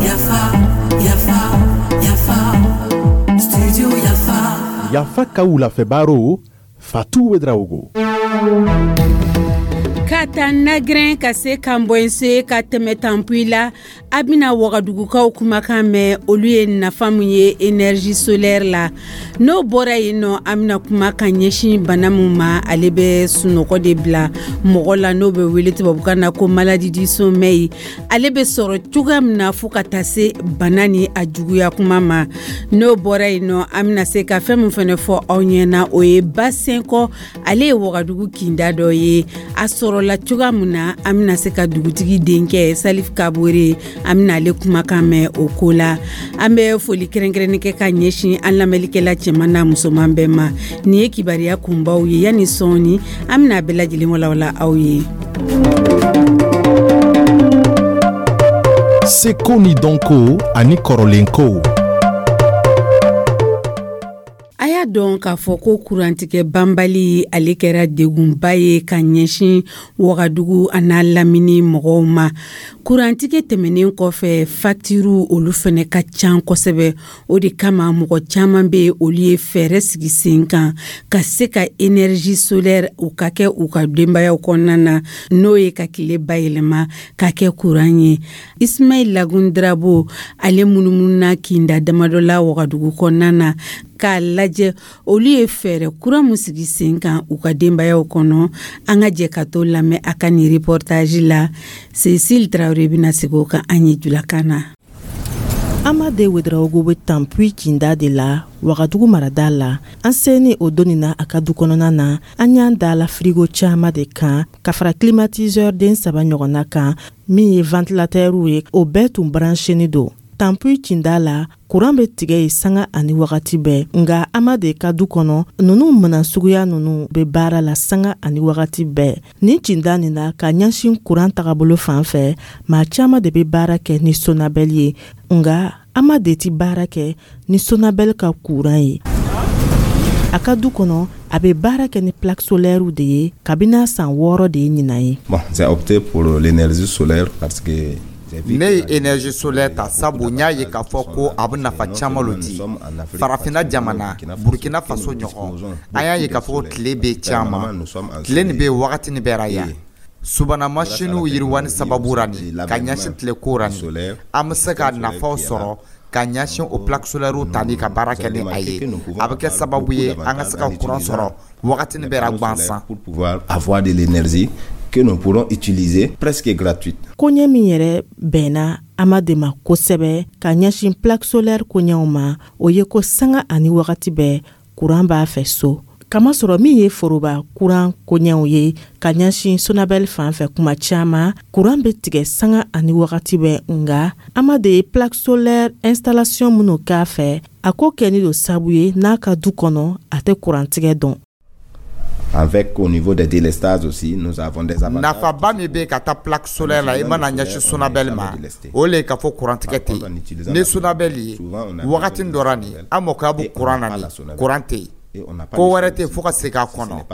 Yafa, Yafa, Yafa, Studio Yafa. Yafa ka wulafɛ Fatou Ouédraogo. Ka taa Nagrɛn ka se Kanbɔnse ka tɛmɛ Tanpuyi la, a bɛna Wagadugukaw kumakan mɛn, olu ye nafa min ye énergie solaire la. N'o bɔra yen nɔ, an bɛna kuma ka ɲɛsin bana min ma, ale bɛ sunɔgɔ de bila mɔgɔ la, n'o bɛ wele tubabukan na ko maladie du sommeil. Ale bɛ sɔrɔ cogoya min na fo ka taa se bana ni a juguya kuma ma. N'o bɔra yen nɔ, an bɛna se ka fɛn min fana fɔ aw ɲɛna, o ye Basenkɔ, ale ye Wagadugu kinda dɔ ye. A sɔrɔla cogoya min na, an bɛna se ka dugutigi denkɛ Salif Kabore, an bɛna ale kumakan mɛn o ko la. An bɛ foli kɛrɛnkɛrɛnnen kɛ ka ɲɛsin an lamɛnlikɛla cɛman n'a musoman bɛɛ ma. Nin ye kibaruya kunbaw ye. Yanni sɔɔni, an bɛna a bɛɛ lajɛlen walawala aw ye. Seko ni dɔnko ani kɔrɔlenkow. A y'a dɔn k'a fɔ ko kurantigɛ banbali, ale kɛra degunba ye ka ɲɛsin Wagadugu a n'a lamini mɔgɔw ma. Kurantigɛ tɛmɛnen kɔfɛ, facture olu fana ka ca kosɛbɛ. O de kama mɔgɔ caman bɛ, olu ye fɛɛrɛ sigi sen kan ka se ka énergie solaire u ka kɛ u ka denbayaw kɔnɔna na, n'o ye ka tile bayɛlɛma ka kɛ kuran ye. Ismail Lagun Drabo, ale munumununa kinda damadɔ la Wagadugu kɔnɔna na k'a lajɛ olu ye fɛɛrɛ kura min sigi sen kan u ka denbayaw kɔnɔ. An ka jɛ ka to lamɛn a ka nin reportage la. Cécile Traoré bɛna segin o kan an ye julakan na. Amade Ouédraogo bɛ Tanpuyi kinda de la Wagadugu marada la. An seni o donni na a ka du kɔnɔna na, an y'an da la frigo caman de kan ka fara climatiseur den saba ɲɔgɔnna kan min ye ventilateurw ye, o bɛɛ tun brancheni don. Tanpuyi kinda la, kuran bɛ tigɛ ye sanga ani wagati bɛɛ, nka Amade ka du kɔnɔ, ninnu minan suguya ninnu bɛ baara la sanga ani wagati bɛɛ. Nin cinda nin na, ka ɲɛsin kuran tagabolo fan fɛ, maa caman de bɛ baara kɛ ni Sonabɛl ye, nka Amade tɛ baara kɛ ni Sonabɛl ka kuran ye. A ka du kɔnɔ, a bɛ baara kɛ ni plaque solaire de ye kabini a san 6 de ye ɲinan ye. Bon, j'ai opté pour l'énergie solaire parce que ne ye énergie solaire ta sabu n y'a ye k'a fɔ ko a bɛ nafa caman lo di. Farafinna jamana, Burkina Faso ɲɔgɔn, an y'a ye k'a fɔ ko tile bɛ caman, tile nin bɛ wagati nin bɛɛ ra yan. Subahana masiniw yiriwani sababu ra nin ka ɲɛsin tile ko ra nin, an bɛ se ka nafaw sɔrɔ ka ɲɛsin o plaque solaire tali ka baara kɛ ni a ye. A bɛ kɛ sababu ye an ka se ka courant sɔrɔ wagati nin bɛɛ ra gansan. Pour pouvoir avoir de l'énergie que nous pourrons utiliser presque gratuite. Koɲɛ min yɛrɛ bɛnna Amade ma kosɛbɛ ka ɲɛsin plaque solaire koɲɛw ma, o ye ko sanga ani wagati bɛɛ kuran b'a fɛ so. Kamasɔrɔ min ye foroba kuran koɲɛw ye ka ɲɛsin Sonabɛl fan fɛ, kuma caman kuran bɛ tigɛ sanga ani wagati bɛɛ, nka Amade ye plaque solaire installation minnu k'a fɛ, a ko kɛni don sabu ye n'a ka du kɔnɔ a tɛ kurantigɛ dɔn. Avec au niveau des délestages aussi, nous avons des avantages. Nafaba min bɛ ka taa plaque solaire la, i mana ɲɛsin Sonabɛl ma, o le ye k'a fɔ kurantigɛ tɛ yen. Ni Sonabɛl ye wagati dɔ ra nin, an mako bɛ kuran na nin, kuran tɛ yen, ko wɛrɛ tɛ fo ka segin a kɔnɔ.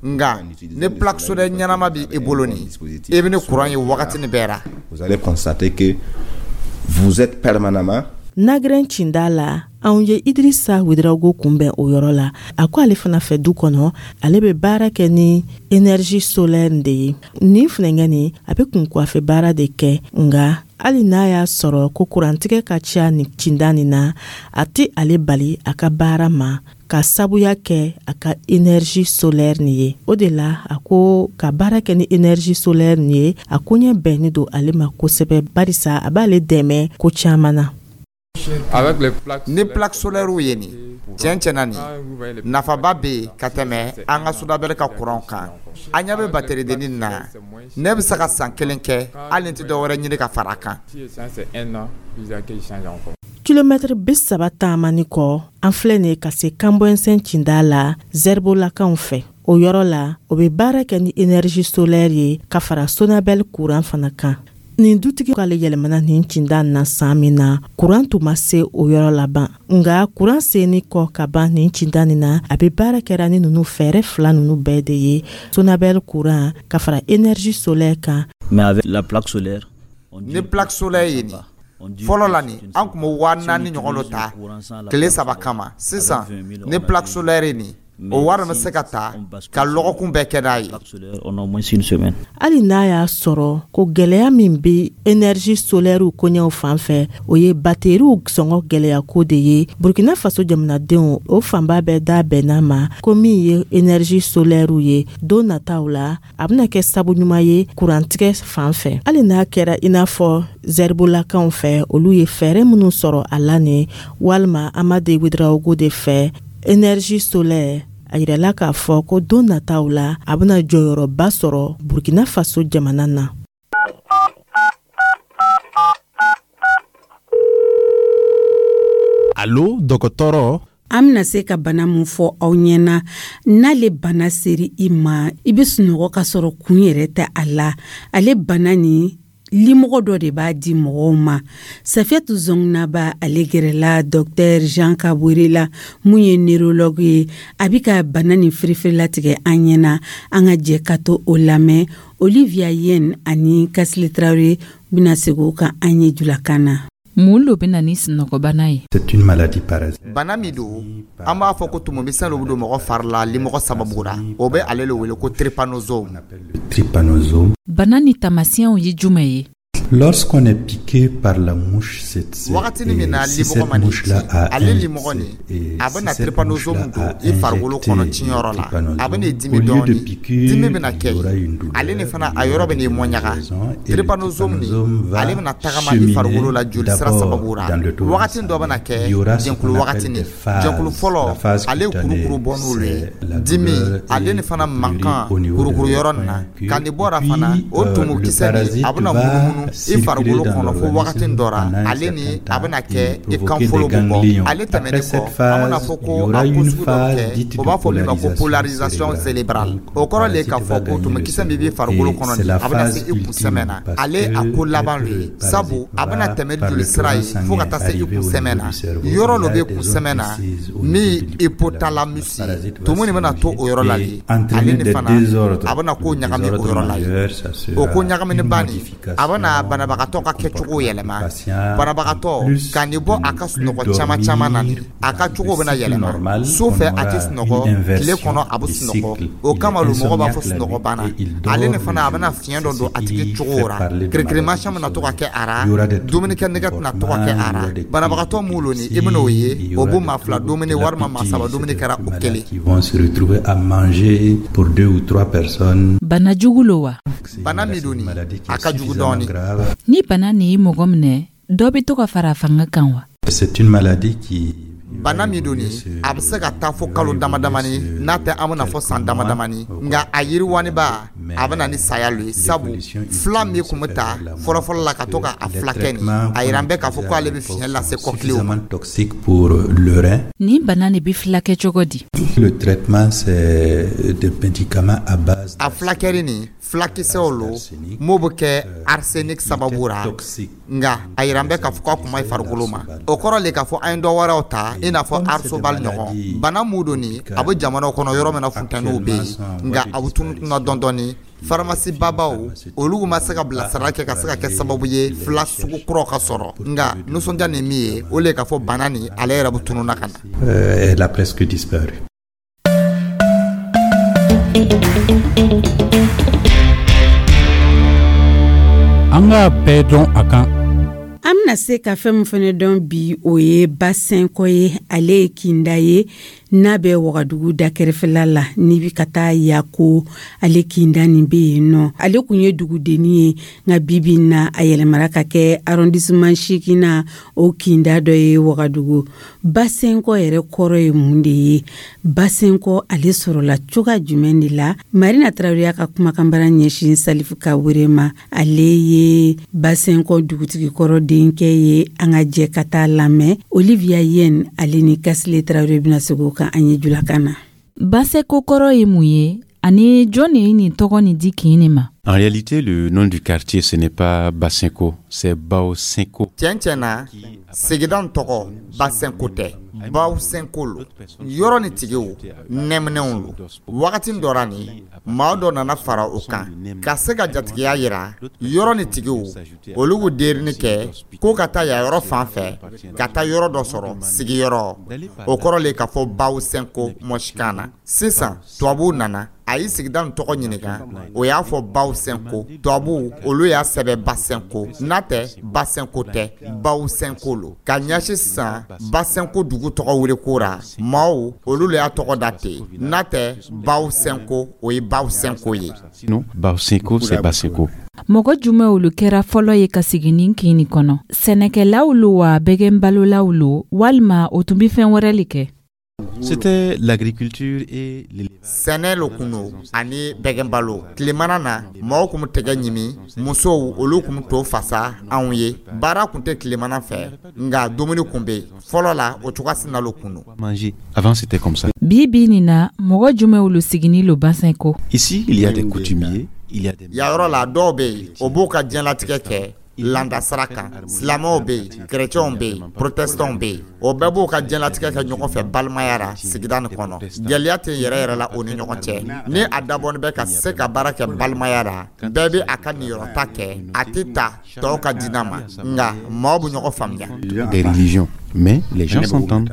Nka ni plaque solaire ɲɛnama bɛ i bolo nin, i bɛ ni kuran ye wagati nin bɛɛ ra. Vous allez constater que vous êtes permanemment. Nagrɛn cinda la, anw ye Idrissa Ouédraogo kunbɛn o yɔrɔ la. A ko ale fana fɛ du kɔnɔ, ale bɛ baara kɛ ni énergie solaire de ye. Nin funɛnkɛ nin, a bɛ kunkuwafɛ baara de kɛ, nka hali n'a y'a sɔrɔ ko kurantigɛ ka ca nin cinda nin na, a tɛ ale bali a ka baara ma ka sabuya kɛ a ka énergie solaire nin ye. O de la a ko ka baara kɛ ni énergie solaire nin ye, a koɲɛ bɛnni don ale ma kosɛbɛ, barisa a b'ale dɛmɛ ko caman na. Ni plaque solaire ye nin, tiɲɛ tiɲɛna, nin nafaba bɛ yen ka tɛmɛ an ka Sonabɛl ka kuran kan. An ɲɛ bɛ batterie dennin na, ne bɛ se ka san kelen kɛ hali ni tɛ dɔ wɛrɛ ɲini ka fara a kan. Kilomɛtiri 30 taamani kɔ, an filɛ nin ye ka se Kanbɔnsɛn cinda la Zɛribolakaw fɛ. O yɔrɔ la, o bɛ baara kɛ ni énergie solaire ye ka fara Sonabɛl kuran fana kan. Nin dutigi k'ale yɛlɛmana nin cinda na san min na, kuran tun ma se o yɔrɔ laban. Nka kuran senni kɔ ka ban nin cinda nin na, a bɛ baara kɛra ni ninnu fɛɛrɛ fila ninnu bɛɛ de ye: Sonabel kuran ka fara énergie solaire kan. Mais avec la plaque solaire, ni plaque solaire ye nin fɔlɔ la, nin an tun bɛ 4000 ɲɔgɔn dɔ ta tile 3 kama. Sisan ni plaque solaire ye nin, o wari bɛ se ka ta ka lɔgɔkun bɛɛ kɛ n'a ye. Hali n'a y'a sɔrɔ ko gɛlɛya min bɛ énergie solaire koɲɛw fan fɛ, o ye bateriw sɔngɔ gɛlɛya ko de ye, Burkina Faso jamanadenw o fanba bɛɛ da bɛnna ma ko min ye énergie solaire ye, don nataw la a bɛna kɛ sabu ɲuman ye kurantigɛ fan fɛ. Hali n'a kɛra i n'a fɔ Zɛribolakaw fɛ, olu ye fɛɛrɛ minnu sɔrɔ a la nin, walima Amade Ouédraogo de fɛ, énergie solaire, a yirala k'a fɔ ko don nataw la a bɛna jɔyɔrɔba sɔrɔ Burkina Faso jamana na. Allo dɔgɔtɔrɔ. An bɛna se ka bana mun fɔ aw ɲɛna? N'ale bana seri i ma, i bɛ sunɔgɔ ka sɔrɔ kun yɛrɛ tɛ a la. Ale bana nin, limɔgɔ dɔ de b'a di mɔgɔw ma. Safiyatu Zɔngnaba, ale gɛrɛla Dr Jean Kabore la, mun ye neurologue ye. A bɛ ka bana nin firifirilatigɛ an ɲɛna. An ka jɛ ka to o lamɛn. Olivia Yen ani Kasile Traoré bɛna segin o kan an ye julakan na. Mun lo bɛ na ni sunɔgɔbana ye? C'est une maladie parasitaire. Bana min don, an b'a fɔ ko tumumisɛn dɔ bɛ don mɔgɔ fari la limɔgɔ sababu la, o bɛ ale le wele ko trypanosome. Trypanosome. Bana ni taamasiyɛnw ye jumɛn ye? Lorsqu'on est piqué par la mouche, c'est Wagatini min na limɔgɔ ma ci, ale limɔgɔ nin, a bɛna trypanosome don i farikolo kɔnɔ ciyɔrɔ la, a bɛna dimi dɔɔni, dimi bɛna kɛ ale ni fana, a yɔrɔ bɛ n'i mɔɲaga. Trypanosome nin, ale bɛna tagama i farikolo la joli sira sababu la. Wagati dɔ bɛna kɛ jɛnkulu wagati nin, jɛnkulu fɔlɔ, ale ye kurukuru bɔ n'olu ye, dimi ale ni fana mankan kurukuru yɔrɔ nin na. Ka nin bɔra fana, o tumukisɛ nin, a bɛna munumunu i farikolo kɔnɔ fo wagati dɔ ra, ale ni a bɛna kɛ i kan folo bɛ bɔ. Ale tɛmɛnen kɔ, an bɛna fɔ ko a ko sugu dɔ kɛ, o b'a fɔ min ma ko polarisation cérébrale. O kɔrɔ le k'a fɔ ko tumukisɛ min b'i farikolo kɔnɔ nin, a bɛna se i kunsɛmɛ na. Ale a ko laban lo ye, sabu a bɛna tɛmɛ joli sira ye fo ka taa se i kunsɛmɛ na. Yɔrɔ dɔ bɛ kunsɛmɛ na min hypothalamus ye, tumu nin bɛna to o yɔrɔ la le. Ale ni fana, a bɛna ko ɲagami o yɔrɔ la ye. O ko ɲagamini ba nin, a bɛna banabagatɔ ka kɛcogo yɛlɛma. Banabagatɔ ka nin bɔ a ka sunɔgɔ caman caman na, a ka cogo bɛna yɛlɛma. Su fɛ a tɛ sunɔgɔ, tile kɔnɔ a bɛ sunɔgɔ. O kama lo mɔgɔ b'a fɔ sunɔgɔ banna. Ale ni fana, a bɛna fiɲɛ dɔ don a tigi cogo ra, kirikirimasiyɛn bɛna to ka kɛ a ra, dumunikɛ nɛgɛ tɛna to ka kɛ a ra. Banabagatɔ mun lo nin, i bɛna o ye, o b'o maa fila dumuni walima maa saba dumuni kɛra o kelen. Qui vont se retrouver à manger pour deux ou trois personnes. Bana jugu lo wa? Bana min don nin, a ka jugu dɔɔni. Ni bana nin ye mɔgɔ minɛ, dɔ bɛ to ka fara a fanga kan wa? C'est une maladie qui Bana min don nin, a bɛ se ka taa fo kalo dama damani, n'a tɛ an bɛna fɔ san dama damani. Nka a yiriwaniba, a bɛ na ni saya lo ye, sabu fila min tun bɛ ta fɔlɔfɔlɔ la ka to ka a fila kɛ nin, a yira bɛ k'a fɔ k'ale bɛ fiɲɛ lase kɔkiliw ma. Toxique pour le rein. Nin bana nin bɛ filakɛ cogo di? Le traitement, c'est des médicaments à base A fulakɛri nin, fulakisɛw lo m'o bɛ kɛ arsenic sababu ra. Nka a yira bɛ k'a fɔ k'a kuma i farikolo ma, o kɔrɔ le k'a fɔ an ye dɔ wɛrɛw ta, i n'a fɔ arsobal ɲɔgɔn. Bana mun don nin, a bɛ jamanaw kɔnɔ yɔrɔ min na funtɛniw bɛ yen, nka a bɛ tunutuna dɔɔni dɔɔni. Faramasi babaw, olu ma se ka bilasira kɛ ka se ka kɛ sababu ye fila sugu kuraw ka sɔrɔ. Nka nisɔndiya ni min ye, o le k'a fɔ bana nin, ale yɛrɛ bɛ tununa ka na. Elle a presque disparu. An k'a bɛɛ dɔn a kan. An bɛna se ka fɛn min fana dɔn bi, o ye Basɛnkɔ ye. Ale ye kinda ye n'a bɛ Wagadugu da kɛrɛfɛla la, n'i bɛ ka taa Yako, ale kinda nin bɛ yen nɔ. Ale kun ye dugudenni ye, nka bi bi in na a yɛlɛmara ka kɛ arrondissement 8nan, o kinda dɔ ye Wagadugu. Basɛnkɔ yɛrɛ kɔrɔ ye mun de ye? Basɛnkɔ, ale sɔrɔla cogoya jumɛn de la? Marina Tarawele y'a ka kumakanbara ɲɛsin Salifu Kawure ma. Ale ye Basɛnkɔ dugutigi kɔrɔ denkɛ ye. An ka jɛ ka taa lamɛn. Olivia Yen, ale ni Kasile Tarawele bɛna segin o kan an ye julakan na. Basɛko kɔrɔ ye mun ye, ani jɔn de ye nin tɔgɔ nin di kin nin ma? En réalité, le nom du quartier, ce n'est pas Basenko, c'est Baosenko. Tiɲɛ tiɲɛ na, sigida nin tɔgɔ Basenko tɛ, Baosenko lo. Yɔrɔ ni tigiw nɛminɛw lo. Wagati dɔ ra ni maa dɔ nana fara o kan ka se ka jatigiya yira yɔrɔ ni tigiw, olu k'u derini kɛ ko ka taa yan yɔrɔ fan fɛ ka taa yɔrɔ dɔ sɔrɔ sigiyɔrɔ. O kɔrɔ le k'a fɔ Baosenko mɔsikan na. Sisan tubabuw nana, a ye sigida nin tɔgɔ ɲininka, o y'a fɔ Baosenko. Tubabuw olu y'a sɛbɛ Basenko, n'a tɛ Basenko tɛ, Baosenko lo. Ka ɲɛsin sisan Basenko dugu tɔgɔ wele ko ra, maaw olu le y'a tɔgɔ da ten, n'a tɛ Baosenko, o ye Baosenko ye. Sinon, Baosenko, c'est Basenko. Mɔgɔ jumɛn olu kɛra fɔlɔ ye ka sigi nin kin nin kɔnɔ? Sɛnɛkɛlaw lo wa, bɛgɛnbalolaw lo, walima o tun be fɛn wɛrɛ le kɛ? C'était l'agriculture et l'élevage. Sɛnɛ lo kun do ani bɛgɛnbalo. Tilemana na, mɔgɔw kun tɛgɛ ɲimi, musow olu kun to fasa anw ye. Baara kun tɛ tilemana fɛ, nka dumuni kun bɛ yen. Fɔlɔ la, o cogoya sina lo kun do. Manger. Avant, c'était comme ça. Bi bi nin na, mɔgɔ jumɛn olu sigini lo Basenko? Ici, il y a des coutumiers, il y a des. Yan yɔrɔ la, dɔw bɛ yen, o b'u ka diɲɛlatigɛ kɛ landa sira kan. Silamɛw bɛ yen, kerecɛnw bɛ yen, protestantw bɛ yen, o bɛɛ b'u ka diɲɛlatigɛ kɛ ɲɔgɔn fɛ balimaya ra sigida nin kɔnɔ. Gɛlɛya tɛ yɛrɛ yɛrɛ la o ni ɲɔgɔn cɛ. Ni a dabɔnin bɛ ka se ka baara kɛ balimaya ra, bɛɛ bɛ a ka niyɔrɔta kɛ, a tɛ ta tɔw ka diinɛ ma, nka maaw bɛ ɲɔgɔn faamuya. Des religions. Mais les gens s'entendent.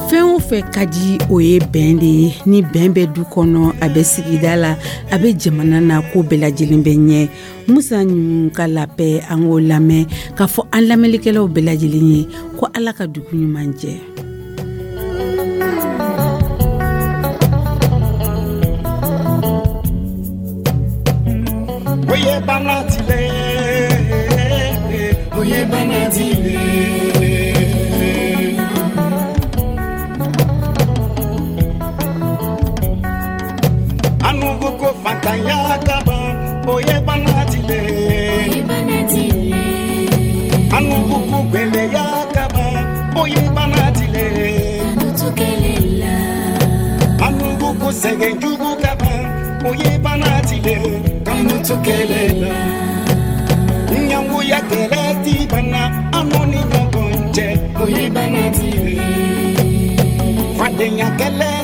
Fɛn o fɛn ka di, o ye bɛn de ye. Ni bɛn bɛ du kɔnɔ, a bɛ sigida la, a bɛ jamana na, ko bɛɛ lajɛlen bɛ ɲɛ. Musa ninnu ka labɛn, an k'o lamɛn k'a fɔ an lamɛnlikɛlaw bɛɛ lajɛlen ye ko Ala ka dugu ɲuman jɛ. Oye banatile, oye banatile. Anugu ko fatanya kaban, oye banatile. Oye banatile. Anugu ko gbeleya kaban, oye banatile. Anutukelela. Anugu ko sɛgɛn jugu kaban, oye banatile. Kanutukelela. Ɲangoya kɛlɛ ti bana an ni ɲɔgɔn cɛ, oye banatile. Fadenya kɛlɛ